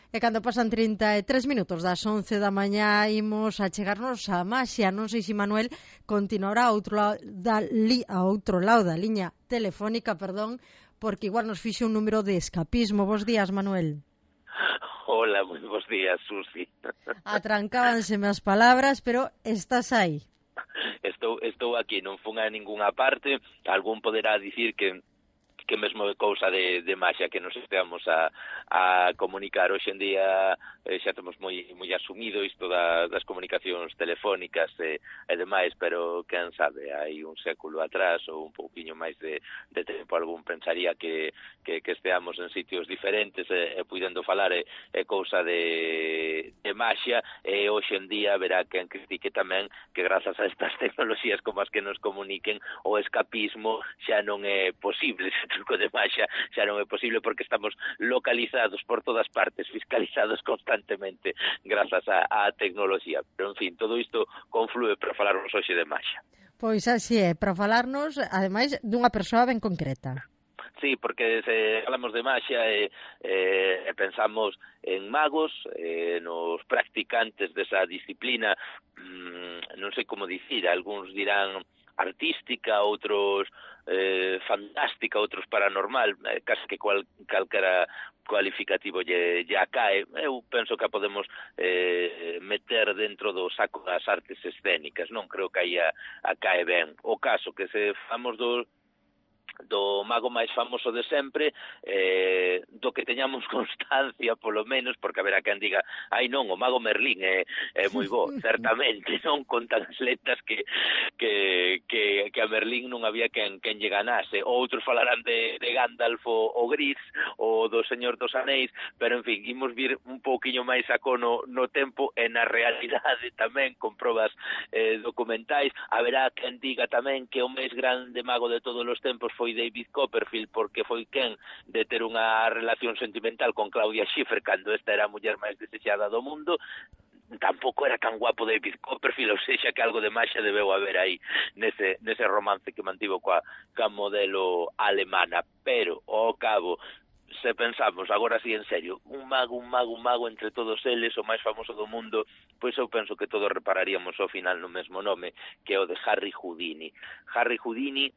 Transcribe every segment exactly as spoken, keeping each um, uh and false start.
E cando pasan trinta e tres minutos das once da mañá imos a chegarnos a Maxia. Non sei se Manuel continuará a outro lado da, li, a outro lado da liña telefónica, perdón, porque igual nos fixe un número de escapismo. Bos días, Manuel. Hola, moi bons días, Susi. Atrancábanseme as palabras, pero estás aí. Estou, estou aquí, non fun a ningunha parte. Algún poderá dicir que que mesmo é cousa de, de Maxia que nos esteamos a, a comunicar. Hoxe en día eh, xa temos moi moi asumido isto da, das comunicacións telefónicas e, e demais, pero quen sabe, hai un século atrás ou un pouquiño máis de, de tempo algún pensaría que, que, que esteamos en sitios diferentes e, e puidendo falar é, é cousa de, de Maxia, e hoxe en día verá quen critique tamén que grazas a estas tecnoloxías como as que nos comuniquen o escapismo xa non é posible. Truco de Maxia xa non é posible porque estamos localizados por todas partes, fiscalizados constantemente grazas á, á tecnoloxía. Pero, en fin, todo isto conflúe para falarnos hoxe de Maxia. Pois así é, para falarnos, ademais, dunha persoa ben concreta. Sí, porque se falamos de Maxia e, eh, e pensamos en magos, eh, nos practicantes desa disciplina, mmm, non sei como dicir, algúns dirán artística, outros eh, fantástica, outros paranormal, eh, casi que cual, calquera cualificativo lle, lle acae. Eu penso que a podemos eh, meter dentro do saco das artes escénicas, non creo que aí a, a cae ben. O caso que se famos do do mago máis famoso de sempre, eh, do que teñamos constancia, polo menos, porque haberá quen diga, ai non, o mago Merlín é, é moi bo, certamente, non contan as letras que, que, que, que a Merlín non había quen, quen lle ganase. Outros falarán de, de Gandalf o, o Gris, ou do Señor dos Anéis, pero, en fin, imos vir un pouquiño máis a cono no tempo e na realidade tamén, con probas eh, documentais. Haberá quen diga tamén que o máis grande mago de todos os tempos foi David Copperfield, porque foi quen de ter unha relación sentimental con Claudia Schiffer cando esta era a muller máis desexada do mundo. Tampouco era tan guapo David Copperfield, ou seja que algo de Maxia debeu haber aí nese, nese romance que mantivo coa, coa modelo alemana. Pero, ao cabo, se pensamos, agora sí en serio, un mago, un mago, un mago entre todos eles, o máis famoso do mundo, pois eu penso que todos repararíamos ao final no mesmo nome, que é o de Harry Houdini. Harry Houdini,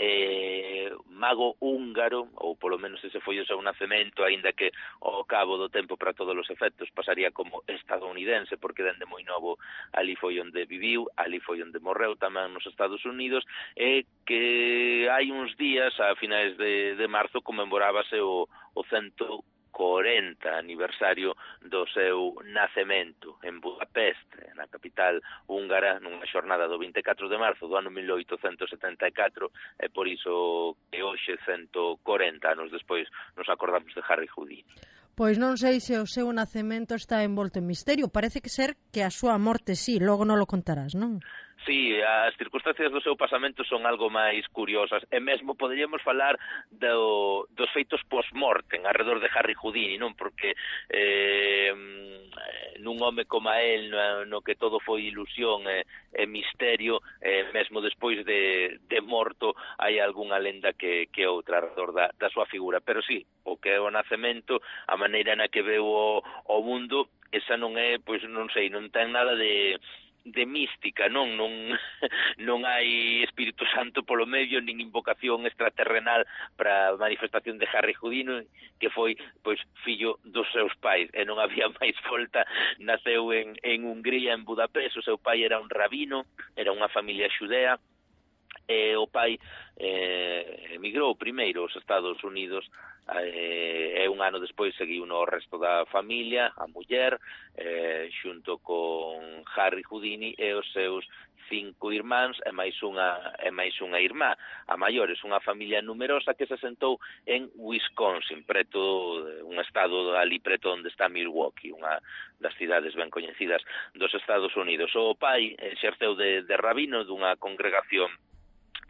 eh, mago húngaro, ou polo menos ese foi o seu nacemento, aínda que ao cabo do tempo para todos os efectos pasaría como estadounidense, porque dende moi novo ali foi onde viviu, ali foi onde morreu tamén nos Estados Unidos, e que hai uns días, a finais de, de marzo, conmemorábase o, o cento corenta aniversario do seu nacemento en Budapest, na capital húngara, nunha xornada do vinte e catro de marzo do ano mil oitocentos setenta e catro, e por iso que hoxe, cento corenta anos despois, nos acordamos de Harry Houdini. Pois non sei se o seu nacemento está envolto en misterio, parece que ser que a súa morte sí, logo non lo contarás, non? Sí, as circunstancias do seu pasamento son algo máis curiosas, e mesmo poderíamos falar do, dos feitos post-mortem arredor de Harry Houdini, non? Porque eh, nun home como a él, no, no que todo foi ilusión e, e misterio, eh, mesmo despois de, de morto, hai algunha lenda que, que outra arredor da, da súa figura. Pero sí, o que é o nacemento, a maneira na que veu o, o mundo, esa non é, pois non sei, non ten nada de de mística, non non non hai Espírito Santo polo medio, nin invocación extraterrenal para a manifestación de Harry Houdini, que foi pois fillo dos seus pais, e non había máis volta. Naceu en, en Hungría, en Budapest. O seu pai era un rabino, era unha familia xudea, e o pai eh, emigrou primeiro aos Estados Unidos, eh, e un ano despois seguiu no resto da familia, a muller, eh, xunto con Harry Houdini e os seus cinco irmáns e máis unha e máis unha irmá. A maiores, unha familia numerosa que se sentou en Wisconsin, preto un estado ali preto onde está Milwaukee, unha das cidades ben coñecidas dos Estados Unidos. O pai exerceu de, de rabino dunha congregación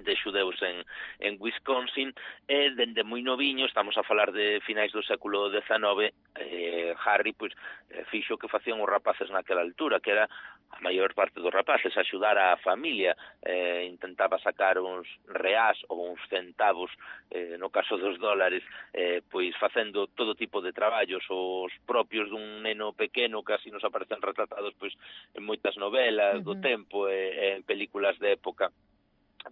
de xudeus en, en Wisconsin, e dende moi noviño, estamos a falar de finais do século dezenove, eh, Harry pois, eh, fixo que facían os rapaces naquela altura, que era a maior parte dos rapaces, axudar a familia, eh, intentaba sacar uns reás ou uns centavos, eh, no caso dos dólares, eh, pois facendo todo tipo de traballos, os propios dun neno pequeno, que así nos aparecen retratados pois en moitas novelas do Uh-huh. tempo e, e en películas de época.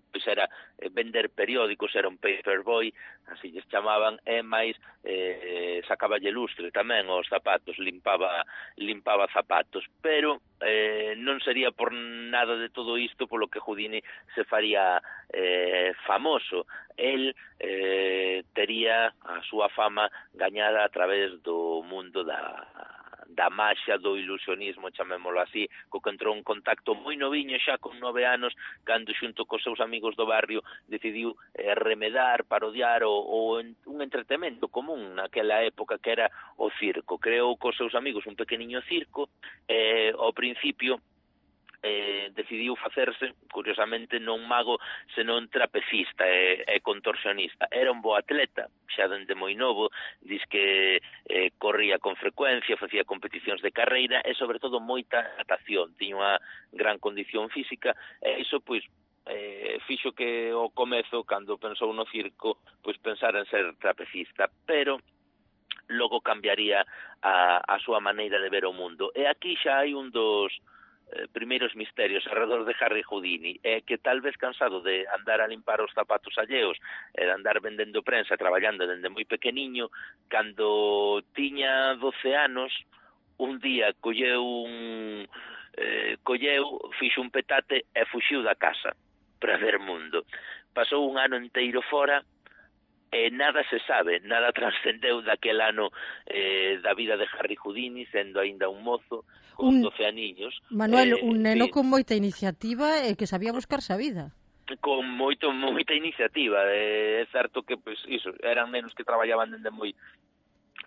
Pois era eh, vender periódicos, era un paperboy, así lles chamaban, e máis eh, sacaballe lustre tamén os zapatos, limpaba limpaba zapatos, pero eh, non sería por nada de todo isto polo que Houdini se faría eh, famoso. El eh, tería a súa fama gañada a través do mundo da da maxia, do ilusionismo, chamémolo así, co que entrou en contacto moi noviño, xa con nove anos, cando xunto cos seus amigos do barrio decidiu eh, remedar, parodiar o, o en, un entretemento común naquela época que era o circo. Creou cos seus amigos un pequeniño circo, eh, ao principio eh, decidiu facerse, curiosamente, non mago, senón trapecista e, e contorsionista. Era un bo atleta, xa dende moi novo, diz que eh, corría con frecuencia, facía competicións de carreira e, sobre todo, moita natación. Tiña unha gran condición física e iso, pois, eh, fixo que o comezo, cando pensou no circo, pois pensar en ser trapecista, pero logo cambiaría a, a súa maneira de ver o mundo. E aquí xa hai un dos eh, primeiros misterios alrededor de Harry Houdini, é que tal vez cansado de andar a limpar os zapatos alleos e de andar vendendo prensa, traballando dende moi pequeniño, cando tiña doce anos, un día colleu un eh, colleu, fixo un petate e fuxiu da casa para ver mundo. Pasou un ano inteiro fora e nada se sabe, nada trascendeu daquel ano eh, da vida de Harry Houdini, sendo aínda un mozo, con un, doce aniños. Manuel, eh, un neno sí, con moita iniciativa e que sabía buscarse a vida. Con moito moita iniciativa. Eh, é certo que, pois, iso, eran nenos que traballaban dende moi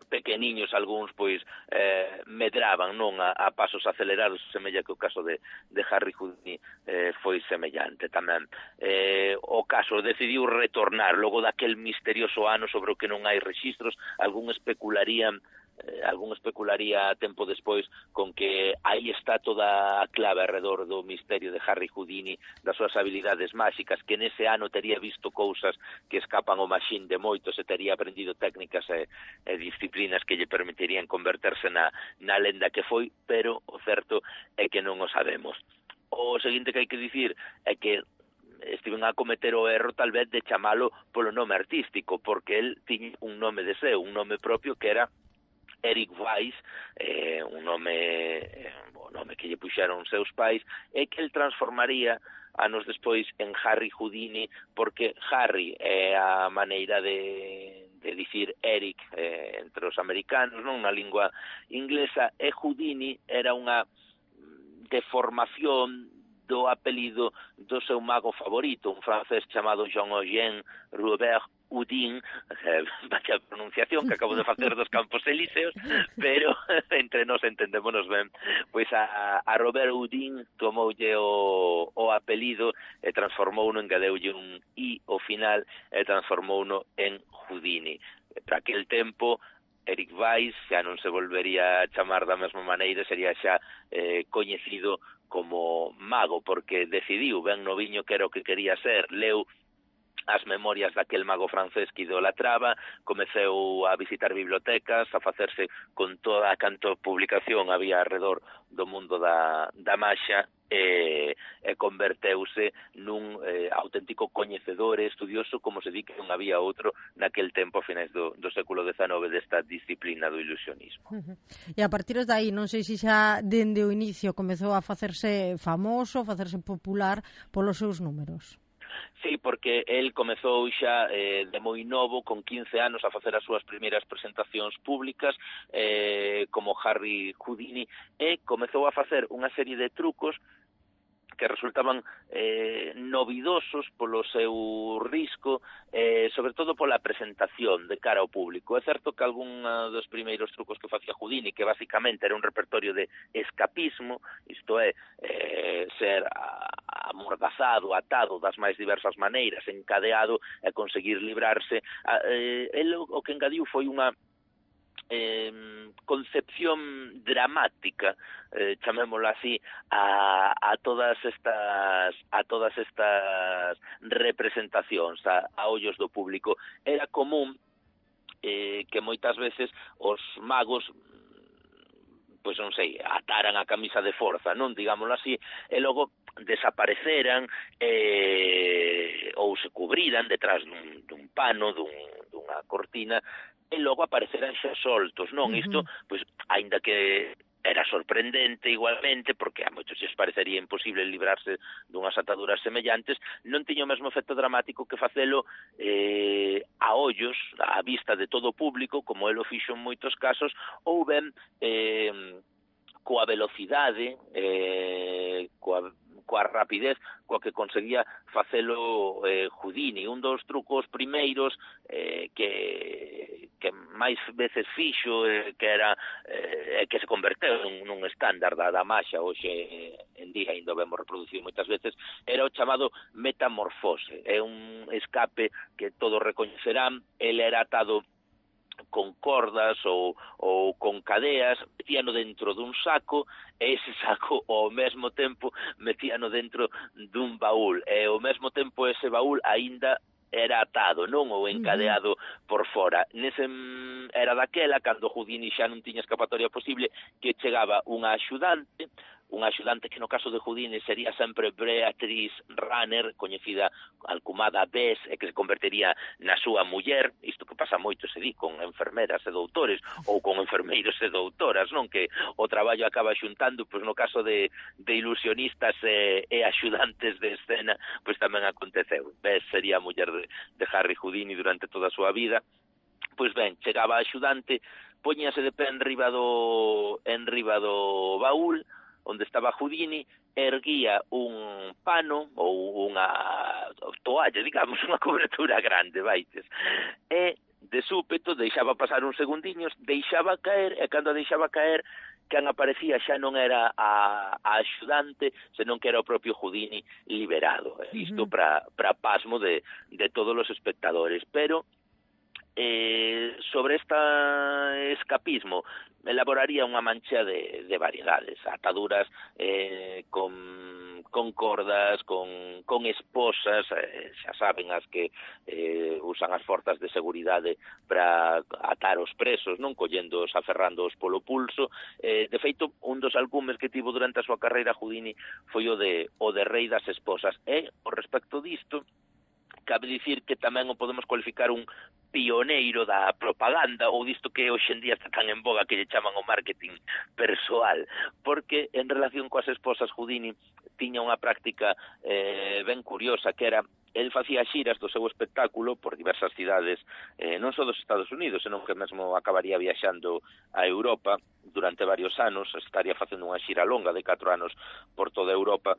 pequeniños, algúns pois eh, medraban, non, a, a pasos acelerados, semella que o caso de, de Harry Houdini eh, foi semellante tamén. Eh, o caso decidiu retornar logo daquel misterioso ano sobre o que non hai rexistros. Algún especularían eh, algún especularía tempo despois con que aí está toda a clave alrededor do misterio de Harry Houdini, das súas habilidades máxicas, que nese ano tería visto cousas que escapan ao machín de moitos e tería aprendido técnicas e, e disciplinas que lle permitirían converterse na, na lenda que foi, pero o certo é que non o sabemos. O seguinte que hai que dicir é que estiven a cometer o erro tal vez de chamalo polo nome artístico, porque el tiña un nome de seu, un nome propio que era Eric Weiss, eh, un nome eh, o nome que lle puxeron os seus pais, e que el transformaría anos despois en Harry Houdini, porque Harry é a maneira de, de dicir Eric eh, entre os americanos, non, na lingua inglesa, e Houdini era unha deformación do apelido do seu mago favorito, un francés chamado Jean-Eugène Robert Houdin, eh, vaya pronunciación que acabo de facer dos Campos Elíseos, pero entre nós entendémonos ben, pois a, a Robert Houdin tomoulle o, o apelido e transformouno, engadeulle un i ao final e transformouno en Houdini. Para aquel tempo Eric Weiss xa non se volvería a chamar da mesma maneira, sería xa eh, coñecido como mago, porque decidiu ben noviño que era o que quería ser, leu as memorias daquel mago francés que idolatraba, comeceu a visitar bibliotecas, a facerse con toda a canto publicación había alrededor do mundo da, da maxia, e, e converteuse nun eh, auténtico coñecedor e estudioso, como se di que non había outro naquel tempo a finais do, do século dezenove desta disciplina do ilusionismo. Uh-huh. E a partir de aí, non sei se xa dende o inicio comezou a facerse famoso, a facerse popular polos seus números. Sí, porque el comezou xa eh, de moi novo, con quince anos, a facer as súas primeiras presentacións públicas eh, como Harry Houdini, e comezou a facer unha serie de trucos que resultaban eh, novidosos polo seu risco, eh, sobre todo pola presentación de cara ao público. É certo que algún dos primeiros trucos que facía Houdini, que basicamente era un repertorio de escapismo, isto é, eh, ser amordazado, atado das máis diversas maneiras, encadeado e conseguir librarse, eh, el o que engadiu foi unha Eh, concepción dramática, eh, chamémoslo así, a, a todas estas a todas estas representacións a, a ollos do público. Era común eh, que moitas veces os magos, pois non sei, ataran a camisa de forza, non, digámoslo así, e logo desapareceran eh, ou se cubriran detrás dun, dun pano, dun, dunha cortina, e logo apareceran xa soltos, non? Uh-huh. Isto, pois, aínda que era sorprendente igualmente, porque a moitos lles parecería imposible librarse dunhas ataduras semellantes, non tiña o mesmo efecto dramático que facelo eh, a ollos, a vista de todo o público, como el o fixo en moitos casos, ou ben eh, coa velocidade, eh, coa coa rapidez coa que conseguía facelo eh, Houdini. Un dos trucos primeiros eh, que, que máis veces fixo, eh, que era eh, que se converteu nun, nun estándar da, da maxia, hoxe eh, en día ainda o vemos reproducido moitas veces, era o chamado metamorfose. É un escape que todos recoñecerán. Ele era atado con cordas ou, ou con cadeas, metíano dentro dun saco, e ese saco ao mesmo tempo metíano dentro dun baúl, e ao mesmo tempo ese baúl aínda era atado, non, ou encadeado por fora. Nese era daquela, cando Houdini xa non tiña escapatoria posible, que chegaba unha axudante, unha axudante que no caso de Houdini sería sempre Beatrice Runner, coñecida alcumada Bess, e que se convertería na súa muller. Isto que pasa moito, se di, con enfermeras e doutores, ou con enfermeiros e doutoras, non? Que o traballo acaba xuntando, pois no caso de, de ilusionistas e, e axudantes de escena, pois tamén aconteceu. Bess sería a muller de, de Harry Houdini durante toda a súa vida. Pois ben, chegaba a axudante, poñíase de pé en riba do, en riba do baúl, onde estaba Houdini, erguía un pano ou unha toalla, digamos, unha cobertura grande, vaites, e de súpeto deixaba pasar uns segundiños, deixaba caer, e cando a deixaba caer, quen aparecía xa non era a, a axudante, senón que era o propio Houdini liberado. Isto uh-huh. para para pasmo de, de todos os espectadores. Pero Eh, sobre este escapismo elaboraría unha mancha de, de variedades, ataduras eh, con, con cordas, con, con esposas, eh, xa saben as que eh, usan as forzas de seguridade para atar os presos, non, colléndoos, aferrándoos polo pulso. Eh, de feito, un dos alcumes que tivo durante a súa carreira Houdini foi o de, o de rei das esposas, e, ao respecto disto, cabe dicir que tamén o podemos cualificar un pioneiro da propaganda, ou disto que hoxe en día está tan en boga que lle chaman o marketing persoal, porque en relación coas esposas Houdini tiña unha práctica eh, ben curiosa, que era, el facía xiras do seu espectáculo por diversas cidades, eh, non só dos Estados Unidos, senón que mesmo acabaría viaxando a Europa durante varios anos, estaría facendo unha xira longa de catro anos por toda Europa.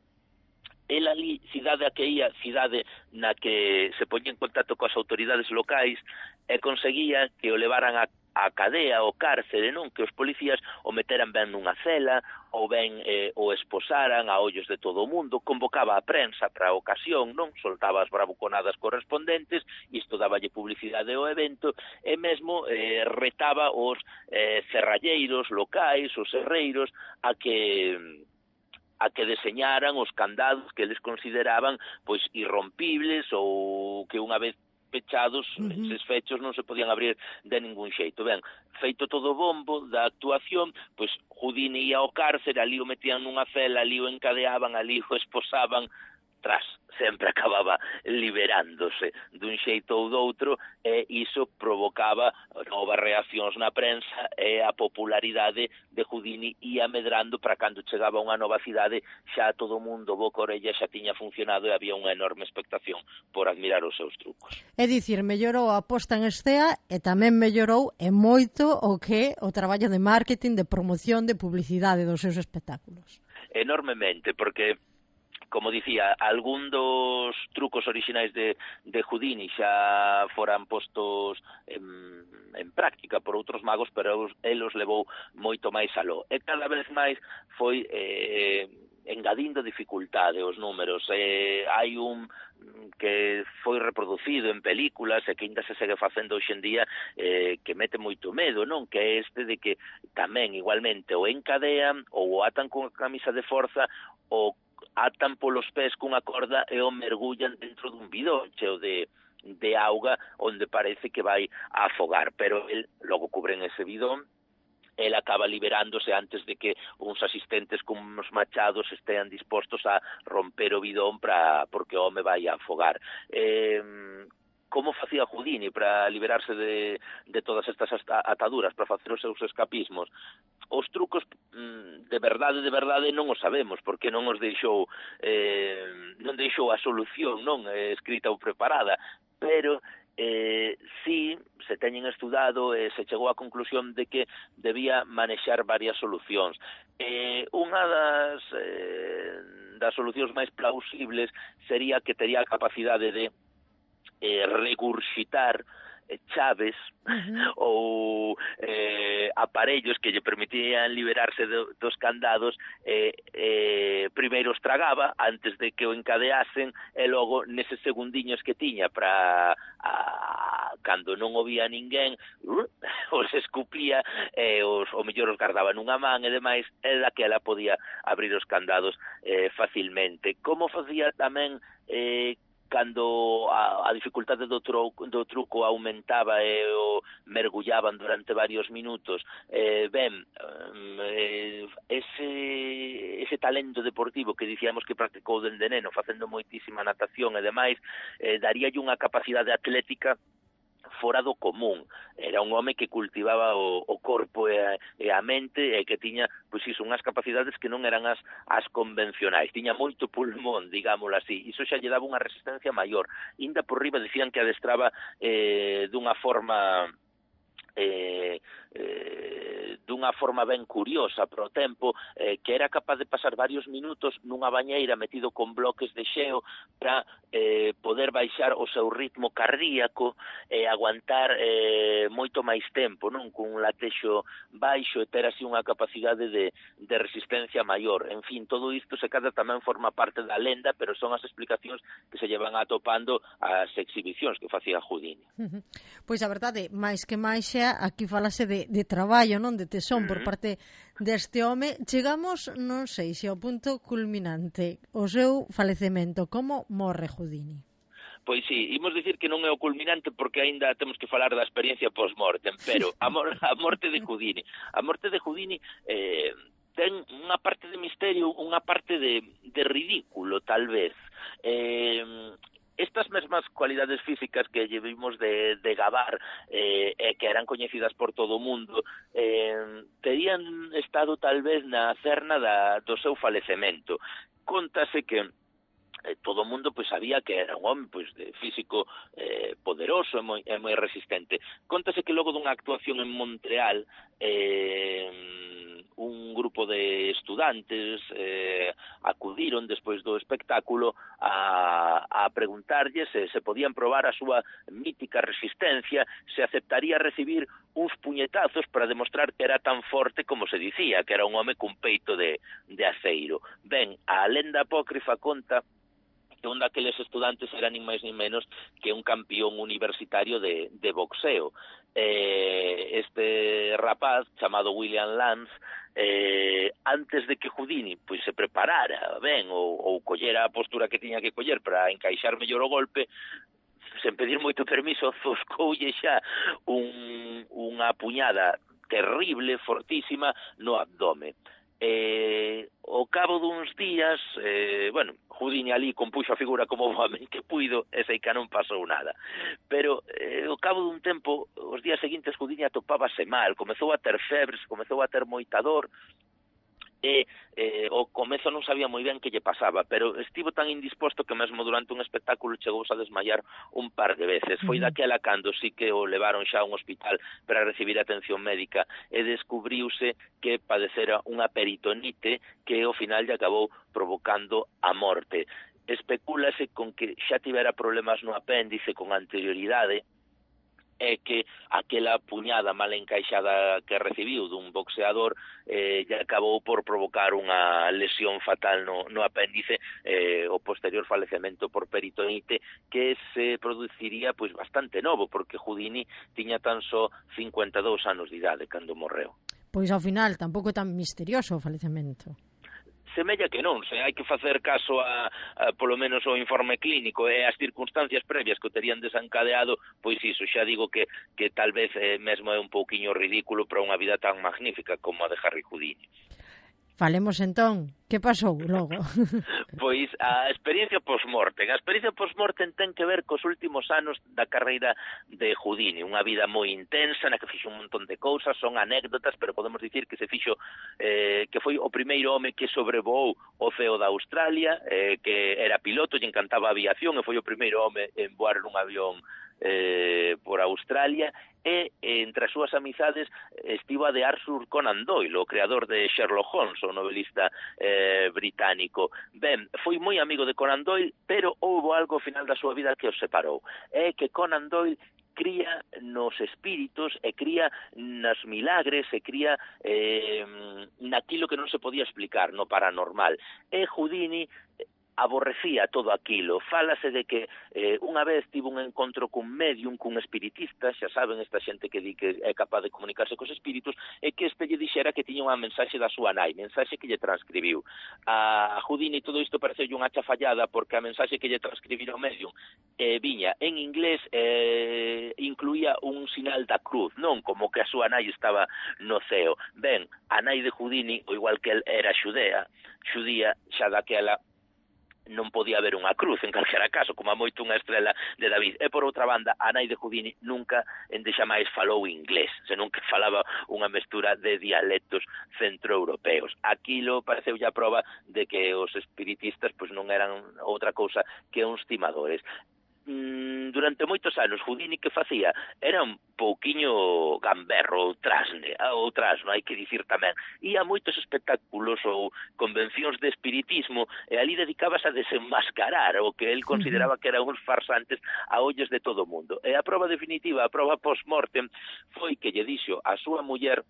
El ali, cidade a que ia, cidade na que se poñía en contacto coas autoridades locais, e conseguía que o levaran a, a cadea, o cárcere, non? Que os policías o meteran ben nunha cela, ou ben eh, o esposaran a ollos de todo o mundo, convocaba a prensa para a ocasión, non? Soltaba as bravuconadas correspondentes, isto daballe publicidade ao evento, e mesmo eh, retaba os eh, cerralleiros locais, os herreiros, a que a que deseñaran os candados que eles consideraban pois irrompibles, ou que unha vez pechados, uh-huh. eses fechos non se podían abrir de ningún xeito. Ben, feito todo o bombo da actuación, pois Houdini ia ao cárcere, ali o metían nunha cela, ali o encadeaban, ali o esposaban, tras sempre acababa liberándose dun xeito ou doutro, e iso provocaba novas reaccións na prensa, e a popularidade de Houdini ia medrando para cando chegaba a unha nova cidade xa todo o mundo boca orella xa tiña funcionado, e había unha enorme expectación por admirar os seus trucos. É dicir, mellorou a posta en escena e tamén mellorou e moito o que o traballo de marketing, de promoción, de publicidade dos seus espectáculos. Enormemente, porque como dicía, algún dos trucos orixinais de, de Houdini xa foran postos en, en práctica por outros magos, pero el os levou moito máis aló. E cada vez máis foi eh, engadindo dificultade os números. Eh, hai un que foi reproducido en películas e que ainda se segue facendo hoxe en día, eh, que mete moito medo, non? Que é este de que tamén igualmente o encadean ou o atan con camisa de forza ou atan polos pés cunha corda e o mergullan dentro dun bidón cheo de de auga onde parece que vai a afogar, pero el logo cubren ese bidón. El acaba liberándose antes de que uns asistentes con uns machados estean dispostos a romper o bidón para porque o home vai a afogar. Eh, como facía Houdini para liberarse de, de todas estas ataduras, para facer os seus escapismos? Os trucos de verdade, de verdade non os sabemos, porque non os deixou eh, non deixou a solución non eh, escrita ou preparada, pero Eh, sí, se teñen estudado e eh, se chegou á conclusión de que debía manexar varias solucións. Eh, unha das, eh, das solucións máis plausibles sería que tería a capacidade de eh, regurxitar chaves uh-huh. ou eh, aparellos que lle permitían liberarse do, dos candados, eh, eh, primeiro os tragaba antes de que o encadeasen e logo neses segundiños que tiña para cando non o vía ninguén uh, os escupía e os, o mellor os guardaba nunha man e demais, e daquela podía abrir os candados eh, facilmente. Como facía tamén eh, cando a, a dificultade do, tro, do truco aumentaba e o mergullaban durante varios minutos, eh, ben, eh, ese, ese talento deportivo que dicíamos que practicou dende neno, facendo moitísima natación e demais, eh, daríalle unha capacidade atlética fora do común. Era un home que cultivaba o, o corpo e a, e a mente e que tiña, pois iso, unhas capacidades que non eran as, as convencionais. Tiña moito pulmón, digámoslo así. Iso xa lle daba unha resistencia maior. Inda por riba dicían que adestraba eh, dunha forma... Eh, eh, dunha forma ben curiosa pro tempo, eh, que era capaz de pasar varios minutos nunha bañeira metido con bloques de xeo para eh, poder baixar o seu ritmo cardíaco e eh, aguantar eh, moito máis tempo, non, cun latexo baixo e ter así unha capacidade de, de resistencia maior. En fin, todo isto se cada tamén forma parte da lenda, pero son as explicacións que se llevan atopando as exhibicións que facía Houdini. Uh-huh. Pois a verdade, máis que máis xa, aquí falase de, de traballo, non, de tesón uh-huh. por parte deste home. Chegamos, non sei se ao punto culminante, o seu falecemento. Como morre Houdini? Pois sí, imos dicir que non é o culminante porque aínda temos que falar da experiencia post-mortem, pero a, mor a morte de Houdini, a morte de Houdini eh, ten unha parte de misterio, unha parte de, de ridículo, tal vez. Eh, Estas mesmas cualidades físicas que lle vimos de, de gabar eh, e que eran coñecidas por todo o mundo eh, terían estado tal vez na cerna da, do seu falecemento. Contase que eh, todo o mundo pois sabía que era un home pois de físico eh, poderoso e moi, e moi resistente. Contase que logo dunha actuación en Montreal eh, un grupo de estudantes eh, acudiron despois do espectáculo a, a preguntarlle se se podían probar a súa mítica resistencia, se aceptaría recibir uns puñetazos para demostrar que era tan forte como se dicía, que era un home cun peito de, de aceiro. Ben, a lenda apócrifa conta que un daqueles estudantes era nin máis nin menos que un campeón universitario de, de boxeo. Eh, este rapaz, chamado William Lance, eh, antes de que Houdini pois, se preparara ben ou, ou collera a postura que tiña que coller para encaixar mellor o golpe, sen pedir moito permiso, zoscoulle xa un, unha puñada terrible, fortísima, no abdome. Eh, ao cabo duns días, eh, bueno, Houdini ali compuxo a figura como o home que puido e sei que non pasou nada. Pero eh, ao cabo dun tempo, os días seguintes Houdini atopábase mal, comezou a ter febres, comezou a ter moita dor e eh, o comezo non sabía moi ben que lle pasaba, pero estivo tan indisposto que mesmo durante un espectáculo chegou a desmayar un par de veces. Foi daquela cando sí que o levaron xa a un hospital para recibir atención médica e descubriuse que padecera unha peritonite que ao final lle acabou provocando a morte. Especúlase con que xa tivera problemas no apéndice con anterioridade, é que aquela puñada mal encaixada que recibiu dun boxeador eh, lle acabou por provocar unha lesión fatal no, no apéndice, eh, o posterior falecemento por peritonite que se produciría pois bastante novo, porque Houdini tiña tan só cincuenta e dous anos de idade cando morreu. Pois ao final tampouco é tan misterioso o falecemento. Semella que non, se hai que facer caso a, a polo menos o informe clínico e as circunstancias previas que o terían desencadeado, pois iso, xa digo que, que tal vez eh, mesmo é un pouquiño ridículo para unha vida tan magnífica como a de Harry Houdini. Falemos entón, que pasou logo? Pois a experiencia post-mortem. A experiencia post-mortem ten que ver cos últimos anos da carreira de Houdini, unha vida moi intensa na que fixo un montón de cousas, son anécdotas, pero podemos dicir que se fixo eh, que foi o primeiro home que sobrevoou o ceo da Australia, eh, que era piloto e encantaba a aviación, e foi o primeiro home en voar nun avión eh, por Australia, e entre as súas amizades estivo a de Arthur Conan Doyle, o creador de Sherlock Holmes, o novelista eh, británico. Ben, foi moi amigo de Conan Doyle, pero houbo algo ao final da súa vida que os separou. É que Conan Doyle cría nos espíritus e cría nas milagres e cría eh, naquilo que non se podía explicar, no paranormal. E Houdini aborrecía todo aquilo. Fálase de que eh, unha vez tivo un encontro cun medium, cun espiritista, xa saben esta xente que di que é capaz de comunicarse cos espíritus, e que este lle dixera que tiña unha mensaxe da súa nai, mensaxe que lle transcribiu. A Houdini todo isto pareceu unha chafallada porque a mensaxe que lle transcribira o medium eh, viña en inglés, eh, incluía un sinal da cruz, non como que a súa nai estaba no ceo. Ben, a nai de Houdini, o igual que el era xudea, xudía xa daquela non podía haber unha cruz en calquera caso, como a moito unha estrela de David. E por outra banda, a nai de Houdini nunca endexa máis falou inglés, senón que falaba unha mestura de dialectos centroeuropeos. Aquilo pareceu a prova de que os espiritistas pois non eran outra cousa que uns timadores. Durante moitos anos Houdini que facía era un pouquiño gamberro ou trasne, ou trasno, hai que dicir tamén. Ia a moitos espectáculos ou convencións de espiritismo e ali dedicábase a desenmascarar o que el consideraba que eran uns farsantes a ollos de todo o mundo. E a prova definitiva, a prova post-mortem, foi que lle dixo a súa muller,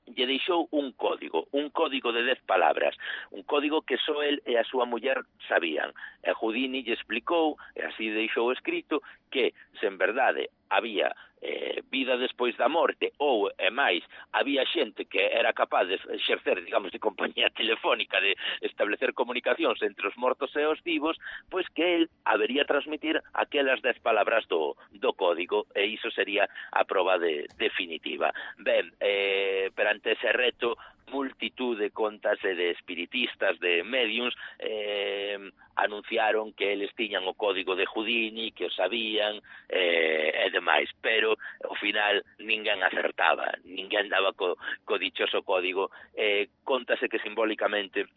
lle deixou un código, un código de dez palabras, un código que só el e a súa muller sabían. E Houdini lle explicou, e así deixou escrito, que se en verdade había eh, vida despois da morte ou, e máis, había xente que era capaz de exercer, digamos, de compañía telefónica, de establecer comunicacións entre os mortos e os vivos, pois que el habería transmitir aquelas dez palabras do, do código, e iso sería a proba de, definitiva. Ben, eh, perante ese reto, multitud de contas e de espiritistas, de mediums, eh, anunciaron que eles tiñan o código de Houdini, que o sabían, eh, e demais, pero ao final ninguén acertaba, ninguén daba co, co dichoso código. Eh, contase que simbólicamente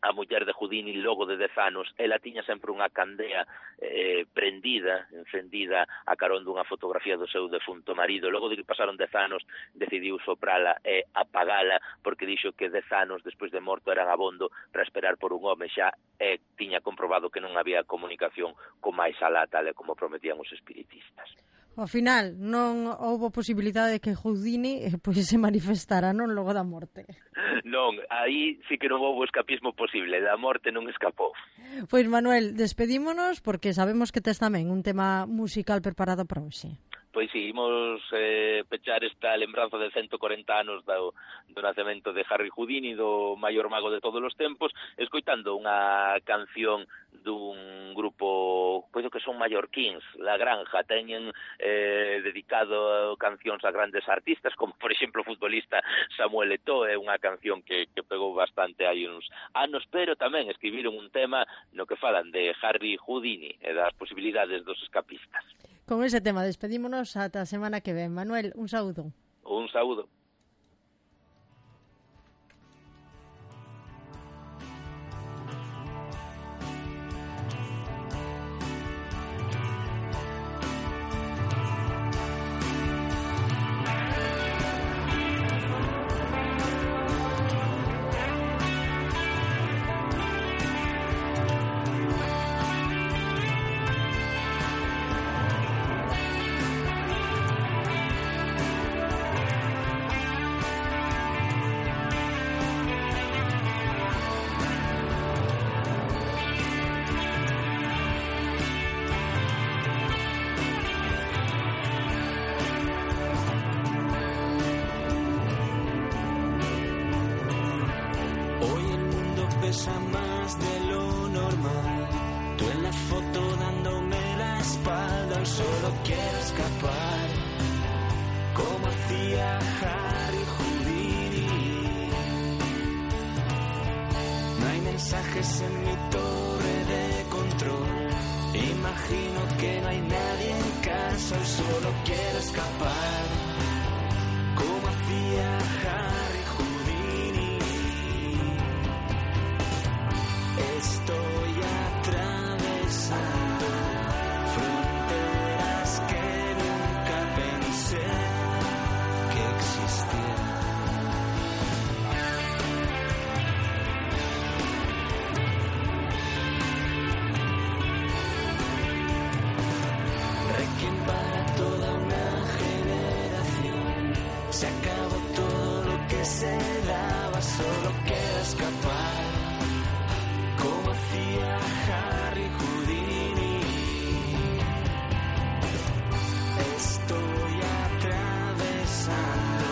a muller de Houdini, logo de dez anos, ela tiña sempre unha candea eh, prendida, encendida a carón dunha fotografía do seu defunto marido. Logo de que pasaron dez anos, decidiu soprala e apagala, porque dixo que dez anos despois de morto eran abondo para esperar por un home xa, e tiña comprobado que non había comunicación con máis alá, tal e como prometían os espiritistas. Ao final, non houbo posibilidade de que Houdini eh, pois se manifestara, non, logo da morte. Non, aí sí que non houbo escapismo posible, da morte non escapou. Pois Manuel, despedímonos porque sabemos que tes tamén un tema musical preparado para hoxe. Pois sí, imos eh, pechar esta lembranza de ciento corenta anos do, do nacemento de Harry Houdini, do maior mago de todos os tempos, escoitando unha canción dun grupo, pois que son mallorquíns, La Granja. Teñen eh, dedicado cancións a grandes artistas, como por exemplo o futbolista Samuel Eto'o, é unha canción que, que pegou bastante hai uns anos, pero tamén escribiron un tema no que falan de Harry Houdini e das posibilidades dos escapistas. Con ese tema despedímonos ata a semana que ven. Manuel, un saúdo. Un saúdo. pesa más de lo normal. Tú en la foto dándome la espalda, hoy solo quiero escapar, como hacía Harry Houdini. No hay mensajes en mi torre de control, imagino que no hay nadie en casa, hoy solo quiero escapar, como hacía Harry Houdini. Estoy atravesando fronteras que nunca pensé que existieran. Requiem para toda una generación. Se acabó todo lo que se daba, solo queda escapar, como hacía Harry Houdini. Estoy atravesando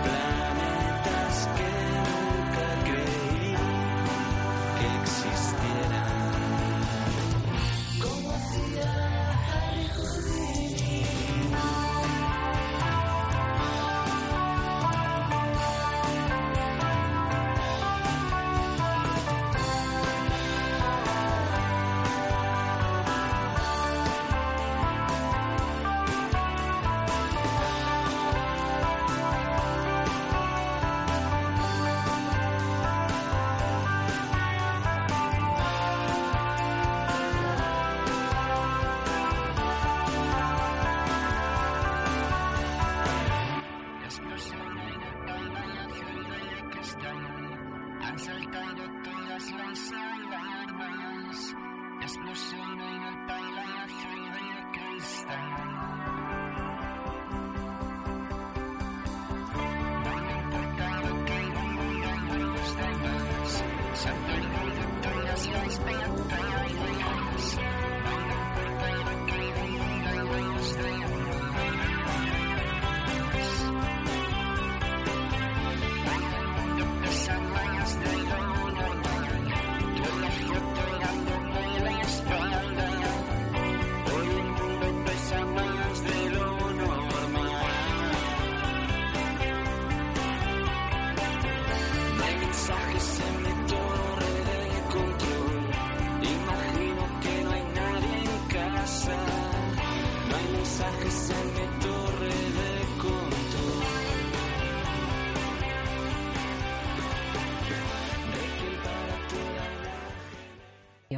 planetas que nunca creí que existieran, como hacía Harry Houdini. Han saltado todas las alarmas, explosión en el palacio de cristal. No me importa lo que digan los demás, se han perdido todas las batallas. No me importa lo que digan los demás. Pesa más de lo normal, yo la foto dándome la espalda. Hoy el mundo pesa más de lo normal. No hay mensajes en mi torre de control, imagino que no hay nadie en casa. No hay mensajes en